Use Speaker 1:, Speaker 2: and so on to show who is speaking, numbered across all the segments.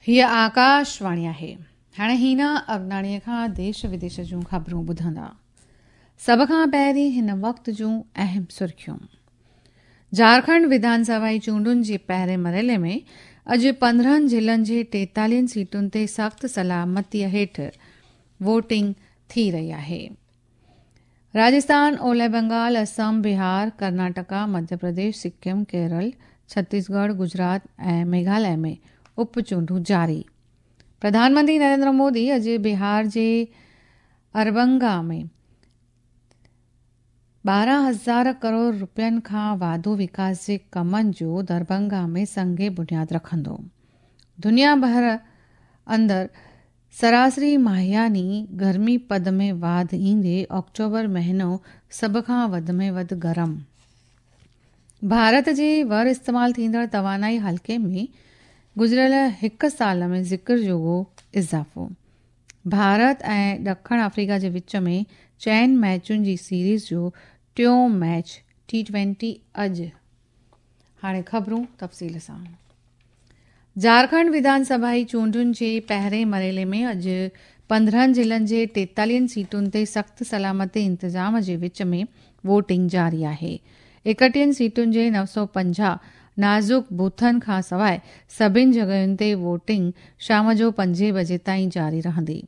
Speaker 1: هيء آڪاشواڻي آهي. هاڻي هينا اگناڻيء کان ديش وديش جون خبرون ٻڌندا. سڀ کان پهرين هن وقت جون اهم سرخيون. جهارکنڊ وڌان سڀائي چونڊن جي پهرين مرحلي ۾ اڄ 15 ضلعن جي 43 سيٽن تي سخت سلامتيء هيٺ ووٽنگ ٿي رهي آهي. راجسٿان، اولهه بنگال، اسم، بهار، ڪرناٽڪا، مڌيه پرديش، سڪم، ڪيرل، ڇتيسڳڙهه، گجرات ۽ ميگهاليه ۾ اپ چونڊون جاري. پرڌان منتري نريندر مودي اڄ بهار جي اربنگا ۾ 12,000 ڪروڙ رپين کان واڌو وڪاس جي ڪمن جو درڀنگا ۾ سنگ بنياد رکندو. دنيا ڀر اندر سراسري ماهياني گرمي پد ۾ واڌ ايندي آڪٽوبر مهينو سڀ کان وڌ ۾ وڌ گرم. ڀارت جي ور استعمال ٿيندڙ توانائي حلقي ۾ گذريل هڪ سال ۾ ذڪر جوڳو اضافو. ڀارت ۽ ڏکڻ آفريڪا جي وچ ۾ چئن ميچن جي سيريز جو ٽيون ميچ ٽي ٽوئنٽي اڄ. هاڻي خبرون تفصيل سان. جهارکنڊ وڌان سڀائي چونڊن جي پهرين مرحلي ۾ اڄ 15 ضلعن جي 43 سيٽن تي سخت سلامتي انتظام جي وچ ۾ ووٽنگ جاري آهي. 31 سيٽن جي 950 نازڪ بوٿن کان سواء سڀني جڳهين تي ووٽنگ شام جو 5 بجي تائين جاري رهندي.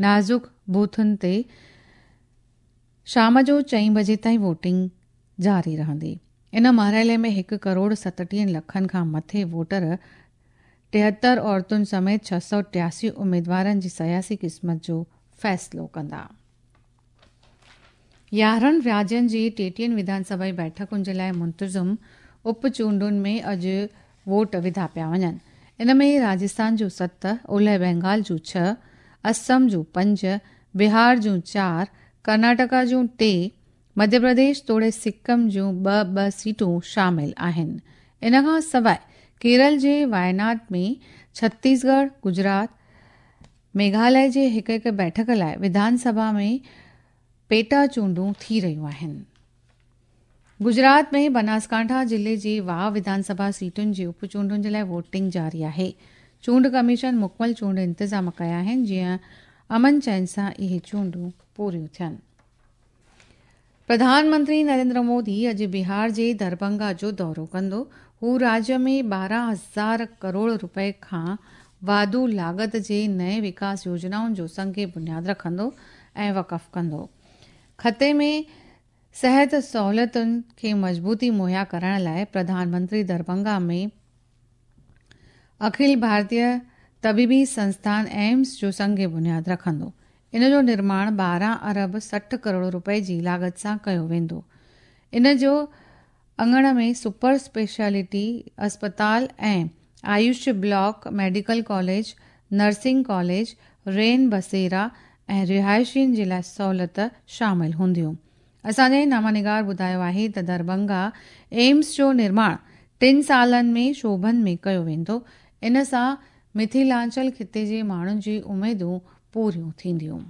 Speaker 1: نازڪ بوٿن تي شام جو 4 بجي تائين ووٽنگ جاري رهندي. ان مرحلي ۾ 1 ڪروڙ 37 لکن کان مٿي ووٽر 73 عورتن سميت 683 اميدوارن جي سياسي قسمت جو فيصلو ڪندا. 11 راجين جي 33 وڌان سڀائي بيٺڪن جي لاء منتظم اپ چونڊن ۾ اڄ ووٽ وڌا پيا وڃن. ان ۾ راجسٿان جون 7، اولهه بينگال جون 6، اسم جون 5، بهار جون 4، ڪرناٽڪا جون 3، مڌيه پرديش توڙي سڪم جون 2 2 سيٽون شامل آهن. ان کان سواء ڪيرل جي وايناڊ ۾ ڇتيسڳڙهه، گجرات، ميگهاليه جي هڪ هڪ بيٺڪ لاء وڌان سڀا ۾ پيٽا چونڊون ٿي رهيون آهن. گجرات ۾ بناسڪانٺا ضلعي جي واهه وڌان سڀا سيٽن جي اپ چونڊن جي لاء ووٽنگ جاري آهي. چونڊ ڪميشن مڪمل چونڊ انتظام ڪيا آهن جيئن امن چين سان اهي چونڊون پوريون ٿين. پرڌان منتري نريندر مودي اڄ بهار جي درڀنگا جو دورو ڪندو. هو راجيه ۾ 12,000 ڪروڙ رپئي کان واڌو لاڳت جي نئين وڪاس يوجنائن جو سنگ بنياد رکندو ۽ وقف ڪندو. خطي ۾ صحت سهولتن کي مضبوطي مهيا ڪرڻ لاء پرڌان منتري درڀنگا ۾ اکل ڀارتيه طبيبي سنسٿان ايمس جو سنگ بنياد رکندو. ان جو نرماڻ 12 ارب 60 ڪروڙ رپئي جي لاڳت سان ڪيو ويندو. ان جو اڱڻ ۾ سپر اسپيشلٽي اسپتال ۽ Ayush block, medical college, nursing college, رين بسيرا ۽ رهائشين جي لاء سهولت شامل هونديون. اسان جي نامه نگار ٻڌايو آهي ته درڀنگا ايمس جو نرماڻ 3 سالن ۾ شعبن ۾ ڪيو ويندو. ان سان مٿيلانچل خطي جي ماڻهن جي اميدون پوريون ٿينديون.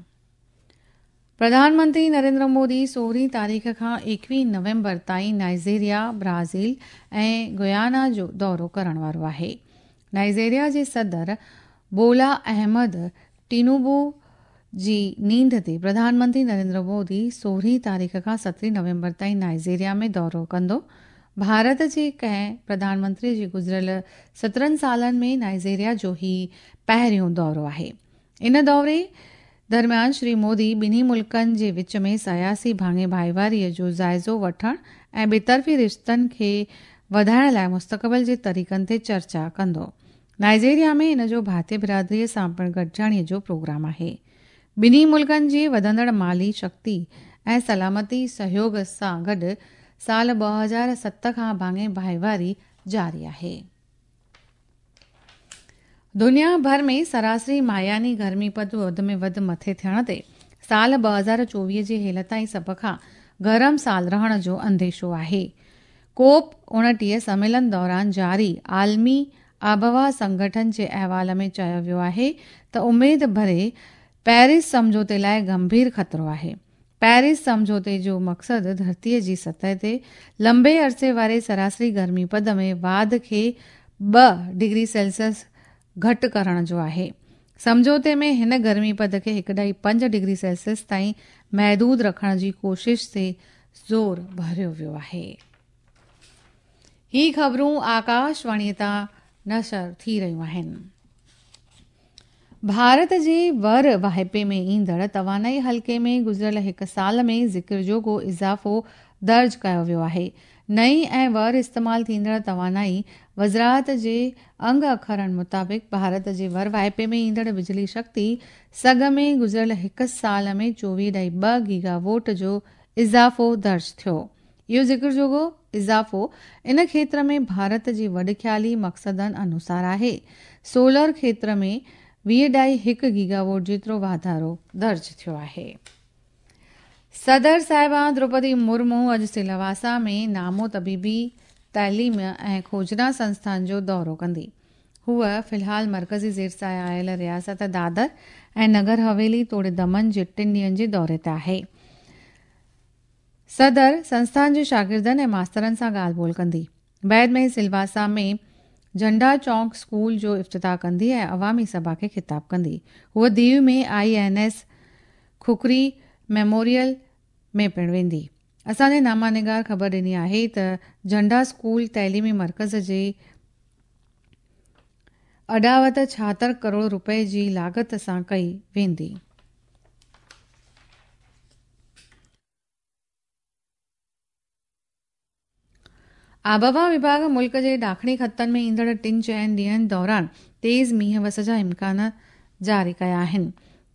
Speaker 1: پرڌان منتري نريندر مودي 16 تاريخ کان 21 نومبر تائين نائيجيريا، برازيل ۽ گيانا جو دورو ڪرڻ وارو آهي. نائيجيريا جي صدر بولا احمد ٽينوبو جي نينڍ تي پرڌان منتري نريندر مودي 16 تاريخ کان 17 نومبر تائين نائيجيريا ۾ دورو ڪندو. ڀارت جي ڪنهن پرڌان منتري جي گذريل 17 سالن ۾ نائيجيريا جو هي پهريون دورو آهي. ان دوري درميان شري مودي ٻنهي ملڪن جي وچ ۾ سياسي ڀاڱي ڀائيواريء جو جائزو وٺڻ ۽ ٻطرفي رشتن کي وڌائڻ لاء مستقبل جي طريقن تي چرچا ڪندو. نائيجيريا ۾ ان جو ڀارتي برادريء سان پڻ گڏجاڻيء جو پروگرام آهي. ٻنهي ملڪن جي وڌندڙ مالي شڪتي ۽ سلامتي سهيوڳ سان گڏ سال 2007 کان ڀاڱي ڀائيواري جاري آهي. دنيا ڀر ۾ سراسري ماهياني گرمي پد وڌ ۾ وڌ مٿي ٿيڻ تي سال 2024 جي هيل تائين سڀ کان گرم سال رهڻ جو انديشو آهي. ڪوپ 29 سميلن دوران جاري عالمي آبهوا سنگٺن جي احوال ۾ چيو ويو آهي ته اميد ڀري پيرس سمجهوتي لاء گنڀير خطرو آهي. پيرس سمجهوتي جو مقصد ڌرتيء جي سطح تي لنبي عرصي واري سراسري گرمي پد ۾ واڌ کي 2 ڊگري سيلسيس گهٽ ڪرڻ جو آهي. سمجهوتي ۾ هن گرمي پد کي 1.5 ڊگري سيلسيس تائين محدود رکڻ جي ڪوشش تي زور ڀريو ويو آهي. هي خبرون آڪاشواڻي تان نشر ٿي رهيون آهن. ڀارت جي ور واهپي ۾ ايندڙ توانائي حلقي ۾ گذريل هڪ سال ۾ ذڪر جوڳو اضافو درج ڪيو ويو آهي. نئين ۽ ور استعمال ٿيندڙ توانائي وزارت جي انگ اکرن مطابق ڀارت جي ور واهپي ۾ ايندڙ بجلي شڪتي سگهه ۾ گذريل هڪ سال ۾ 24.2 گيگا ووٽ جو اضافو درج ٿيو. اهو ذڪر جوڳو اضافو ان کيتر ۾ ڀارت جي وڏ خيالي مقصدن انوسار آهي. سولر کيتر ۾ 20.1 گيگا ووٽ جيترو واڌارو درج ٿيو آهي. صدر صاحبان دروپدي مرمو اڄ سلواسا ۾ نامو طبيبي تعليم ۽ کوجنا سنسٿان جو دورو ڪندي. هوء في الحال مرڪزي زير سايه آيل رياست دادر ۽ نگر حويلي توڙي دمن جي 3 ڏينهن جي دوري تي آهي. صدر سنسٿان جي شاگردن ۽ ماسترن سان ڳالهه ٻولهه ڪندي. بعد ۾ سلواسا ۾ جهنڊا چونڪ اسڪول جو افتتاح ڪندي ۽ عوامي سڀا کي خطاب ڪندي. هوء ديو ۾ I N S Khukri memorial ۾ پڻ ويندي. اسان جي نامه نگار خبر ڏني آهي ته جهنڊا اسڪول تعليمي مرڪز جي اڏاوت 76 ڪروڙ رپئي جي لاڳت سان ڪئي ويندي. آبهوا وڀاڳ ملڪ جي ڏاکڻي خطن ۾ ايندڙ 3-4 ڏينهن دوران تيز مينهن وس جا امڪان جاري ڪيا آهن.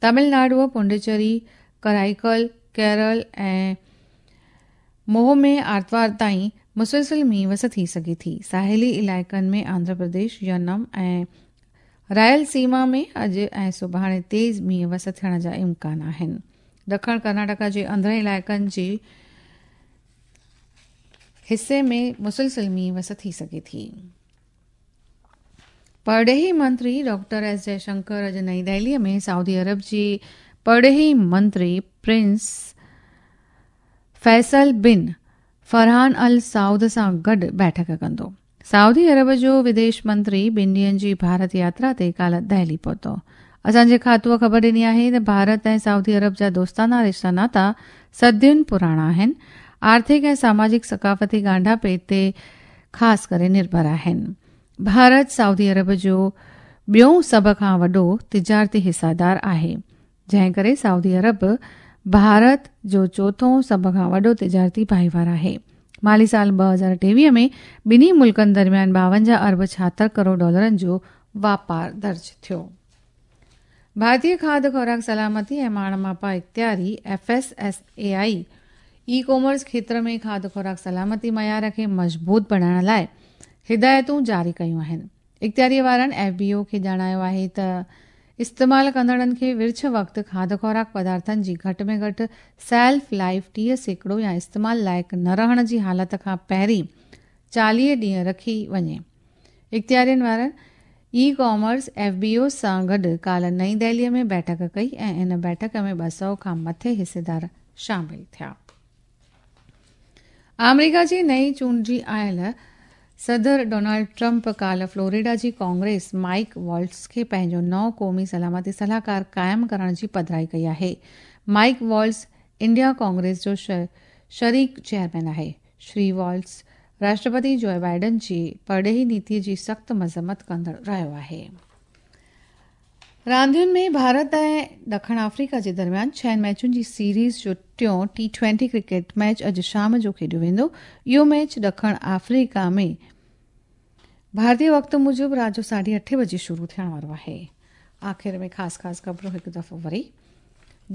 Speaker 1: تامل ناڊو، پونڊيچيري، ڪرائيڪل، ڪيرل ۽ موهه ۾ آرتوار تائين مسلسل مينهن وس ٿي سگهي ٿي. ساحلي علائقن ۾ آنڌرا پرديش، ينم ۽ رائل سيما ۾ اڄ ۽ سڀاڻي تيز مينهن وس ٿيڻ جا امڪان آهن. ڏکڻ ڪرناٽڪا جي اندرين علائقن جي حصي ۾ مسلسل مينهن وس ٿي سگهي ٿي. پرڏيهي منتري ڊاڪٽر ايس جئشنڪر اڄ نئين دهلي ۾ سعودي عرب جي پرڏيهي منتري پرنس فيصل بن فرحان السعود سان گڏ بيٺڪ ڪندو. سعودي عرب جو وديش منتري 2 ڏينهن جي ڀارت ياترا تي ڪالهه دهلي پهتو. اسان جي کاتوء خبر ڏني آهي ته ڀارت ۽ سعودي عرب جا دوستانا رشتا ناتا صدين پراڻا آهن، آرٿڪ ۽ ساماجڪ ثقافتي ڳانڍاپي تي خاص ڪري نرڀر آهن. ڀارت سعودي عرب جو ٻيون سڀ کان وڏو تجارتي حصيدار آهي، جنهن ڪري سعودي عرب ڀارت جو چوٿون سڀ کان وڏو تجارتي ڀائيوار آهي. مالي سال 2023 ۾ ٻنهي ملڪن درميان 52 ارب 76 ڪروڙ ڊالرن جو واپار درج ٿيو. ڀارتي کاڌ خوراڪ سلامتي ۽ ماڻ ماپا اختياري، F S S A I, e commerce کيتر ۾ کاڌ خوراڪ سلامتي معيار کي مضبوط بڻائڻ لاء هدايتون جاري ڪيون آهن. اختياريء وارن ايف بي او کي ڄاڻايو آهي ته استعمال ڪندڙن کي ورڇ وقت کاڌ خوراڪ پدارٿن جي گهٽ ۾ گهٽ سيلف لائيف 30% يا استعمال لائق نه رهڻ جي حالت کان پهرين 40 ڏينهن رکي وڃي. اختيارين وارن e commerce F B O سان گڏ ڪالهه نئين دهليء ۾ بيٺڪ ڪئي ۽ ان بيٺڪ ۾ 200 کان مٿي حصيدار شامل ٿيا. آمريڪا جي نئين چونڊجي آيل صدر ڊونلڊ ٽرمپ ڪالهه فلوريڊا جي ڪانگريس مائيڪ والٽز کي پنهنجو نئون قومي سلامتي صلاحڪار قائم ڪرڻ جي پڌرائي ڪئي آهي. مائيڪ والٽز انڊيا ڪانگريس جو شريڪ چيئرمين آهي. شري والٽز راشٽرپتي جو بائيڊن جي پرڏيهي نيتي جي سخت مذمت ڪندڙ رهيو آهي. راندين ۾ ڀارت ۽ ڏکڻ آفريڪا جي درميان 6 ميچن جي سيريز جو ٽيون ٽي-20 ڪرڪيٽ ميچ اڄ شام جو کيڏيو ويندو. اهو ميچ ڏکڻ آفريڪا ۾ ڀارتي وقت موجب رات جو 8:30 بجي شروع ٿيڻ وارو آهي. آخر ۾ خاص خاص خبرون هڪ دفعو وري.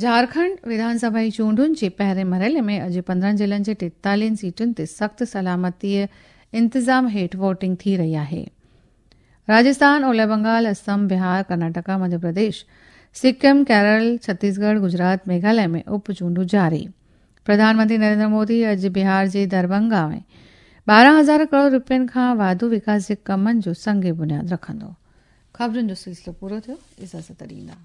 Speaker 1: جهارکنڊ وڌان سڀا جي چونڊن جي پهرين مرحلي ۾ اڄ 15 ضلعن جي 43 سيٽن تي سخت سلامتي انتظام هيٺ ووٽنگ ٿي رهي آهي. راجسٿان، اولهه بنگال، اسم، بهار، ڪرناٽڪا، مڌيه پرديش، سڪم، ڪيرل، ڇتيسڳڙهه، گجرات، ميگهاليه ۾ اپ چونڊون جاري. پرڌان منتري نريندر مودي اڄ بهار جي درڀنگا ۾ 12,000 ڪروڙ رپين کان واڌو وڪاس جي ڪمن جو سنگ بنياد رکندو. خبرن جو سلسلو پورو ٿيو، اجازت ڏيندا.